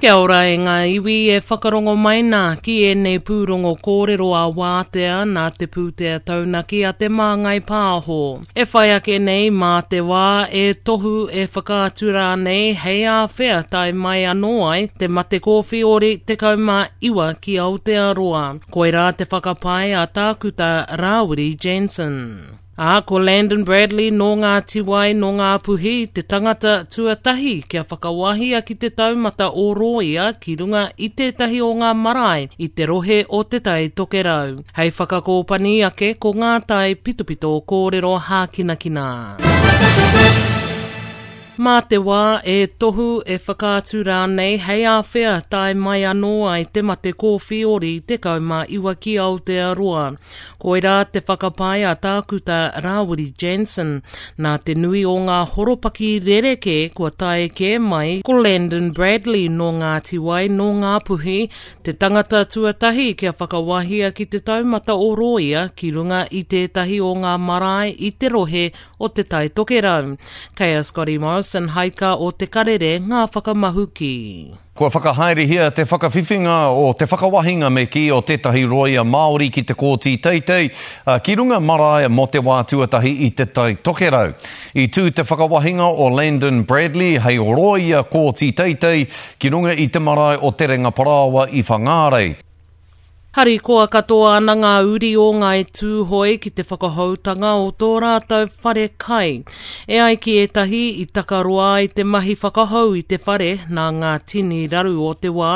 Kia ora e ngā iwi e whakarongo mai nā ki ēnei pūrongo kōrero a Wātea nā te pūtea taunaki a Te Māngai Pāho. E whai ake nei mā te wā e tohu e whakaatu rānei hei āwhea tae mai anō ai te mate kōwhiori 19 ki Aotearoa. Koirā te whakapae a Tākuta Rāwiri Jansen. Ā, ko Landon Bradley nō Ngāti Wai, nō Ngāpuhi, te tangata tuatahi kia whakawahia ki te taumata o rōia ki runga i tētahi o ngā marae i te rohe o Te Tai Tokerau. Hei whakakōpani ake ko ngā tae pitopito kōrero hākinakina. Mā te wā e tohu, e whakaatu rānei hei āwhea tae mai anō ai te mate kōwhiori 19 ki Aotearoa. Koirā te whakapae a Tākuta Rāwiri Jansen, nā te nui o ngā horopaki rerekē kua tae kē mai ko Landon Bradley nō Ngāti Wai, nō Ngāpuhi, te tangata tuatahi kia whakawahia ki te taumata o rōia ki runga i tētahi o ngā marae i te rohe o Te Tai Tokerau. Kei a Scotty Morrison Haika o Te Karere ngā whakamahuki. Kua whakahaerehia te whakawhiwhinga o te whakawahinga me kī o tētahi rōia Māori ki te Kōti Teitei ki runga marae mō te wā tuatahi i Te Tai Tokerau. I tū te whakawahinga o Landon Bradley hei rōia Kōti Teitei ki runga i te marae o Terenga Parāoa i Whangārei. Harikoa katoa ana ngā uri o Ngāi Tūhoe ki te whakahoutanga o tō rātou whare kai. E ai ki ētahi, i takaroa ai te mahi whakahou i te whare nā ngā tini raru o te wā,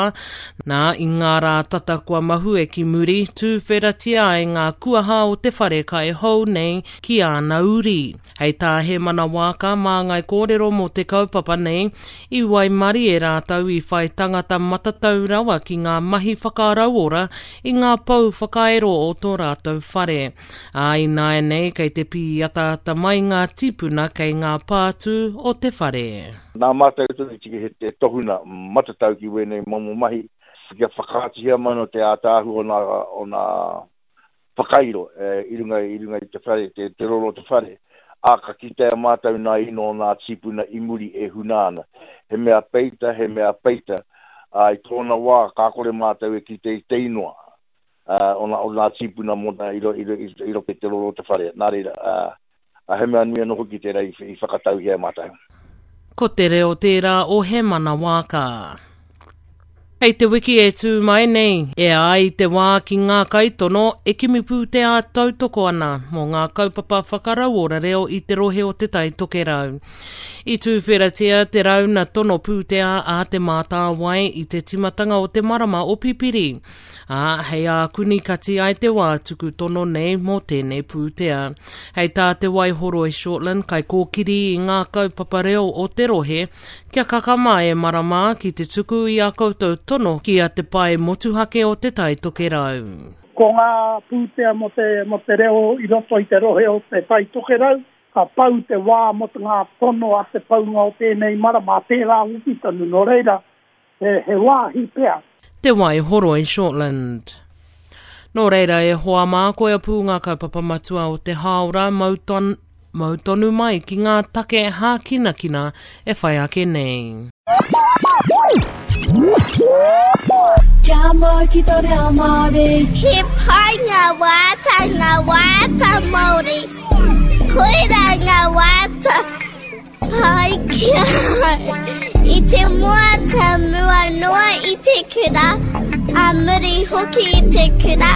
nā, i ngā rā tata kua mahue ki muri, tūwheratia ai ngā kuaha o te whare kai hou nei ki āna uri. Hei tā Hēmana Waaka, māngai kōrero mō te kaupapa nei, I waimarie rātou i whai tangata matatau rawa ki ngā mahi whakarauora i ngā pou whakairo o tō rātou whare. Ā, ināianei kei te pīataata mai ngā tīpuna kei ngā pātū o te whare. Nā mātou tonu i tiki he te tohuna matatau ki wēnei momo mahi, kia whakaatuhia mai no te ātaahua o nā, o nā whakairo i runga i runga i te whare, te, te roro o te whare, ā, ka kitea mātou nā ino o nā tīpuna i muri e huna ana. He mea peita, he mea peita, ā, i tōna wā ka kore mātou e kite i te inoa ā, o nā, o nā tīpuna mōna i, ro, i, ro, i roto i te roro o te whare. Nā reira, ā, ā, he mea nui anō hoki tērā i, i whakatauhia e mātou. Ko te reo tērā o Hemana Waaka. Hei te wiki e tū mai nei, e ai te wā ki ngā kaitono e kimi pūtea tautoko ana mō ngā kaupapa whakarauora reo i te rohe o Te Tai Tokerau. I tūwheratia te rauna tono pūtea a Te Mātāwai i te timatanga o te marama o Pipiri, ā, hei ākuni kati ai te wā tuku tono nei mō tēnei pūtea. Hei tā Te Waihoroi Shortland, kaikōkiri i ngā kaupapa reo o te rohe, Kia kakama e marama ki te tuku i a koutou tono ki a Te Pae Motuhake o Te Tai Tokerau. Ko ngā pūtea mō te, mō te reo i roto i te rohe o Te Tai Tokerau, ka pau te wā mō te ngā tono a te paunga o tēnei marama, a tērā wiki tonu, nō reira, he, he wāhi pea. Te Waihoroi Shortland. Nō reira e hoa mā, koia pū ngā kaupapa matua o te hāora, mau, ton, mau tonu mai ki ngā take hākinakina e whai ake nei. Kia mau ki tō reo Māori. He pai ngā wāta, ngā wāta Māori. Koirā ngā wāta. Pai ki ahau. I te moata mua noa i te kura, a muri hoki i te kura,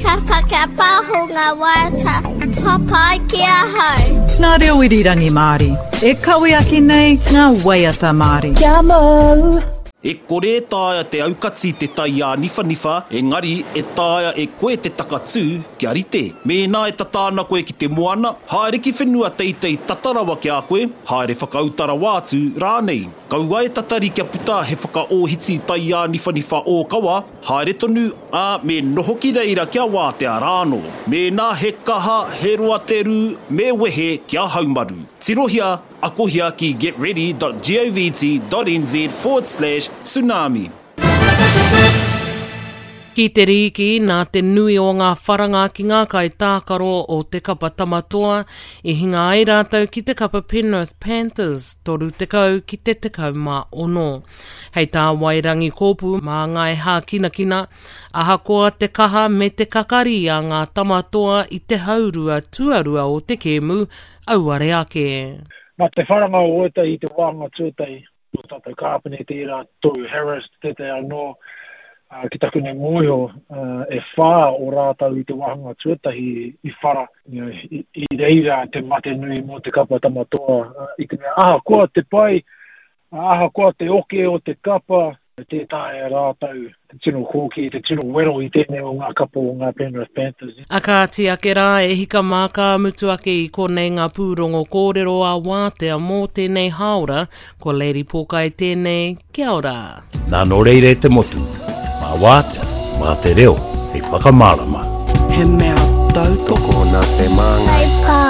ka whakapaho nga waiata papai ki ahau. Ngā reo irirangi Māori. E kawe ake nei ngā waiata Māori. Kia mau! E kore e taea te aukati te tai āniwhaniwha, engari e taea e koe te takatū kia rite. Mēnā e tata ana koe ki te moana, haere ki whenua teitei tata rawa ki a koe, haere whakauta rawa atu rānei. Kaua e tatari kia puta he whakaōhiti tai āniwhaniwha ōkawa, haere tonu, ā, me noho ki reira kia wātea rānō. Mēnā he kaha, he roa te rū, me wehe kia haumaru. Tirohia Akohia ki getready.govt.nz forward slash tsunami. Ki te rīki, nā te nui o ngā wharanga ki ngā kaitākaro o te kapa Tama Toa, i hinga ai rātou ki te kapa Penrith Panthers, 30 ki te 16. Hei tā Wairangi Kōpū māngai hākinakina, ahakoa te kaha me te kakari a ngā Tama Toa i te haurua tuarua o te kēmu, auare ake. Nā te wharanga o ētahi i te wāhanga tuatahi, Tō tātou kāpene tērā, Toru Harris, tētahi anō, ki taku nei mōhio, e whā o rātou i te wāhanga tuatahi i whara, i reira te mate nui mō te kapa Tama Toa, i te mea ahakoa te pai, ahakoa te oke o te kapa, tē taea e rātou te tino kōkī, te tino wero i tēnei o ngā kapa o ngā Penrith Panthers. A kāti ake rā, e hika mā ka mutu ake i konei ngā pūrongo kōrero a Wātea mō tēnei hāora, ko Lady Pōkai tēnei, kia ora. Nā nō reira e te motu, mā Wātea, mā te reo hei whakamārama. He mea tautoko nā te māngai.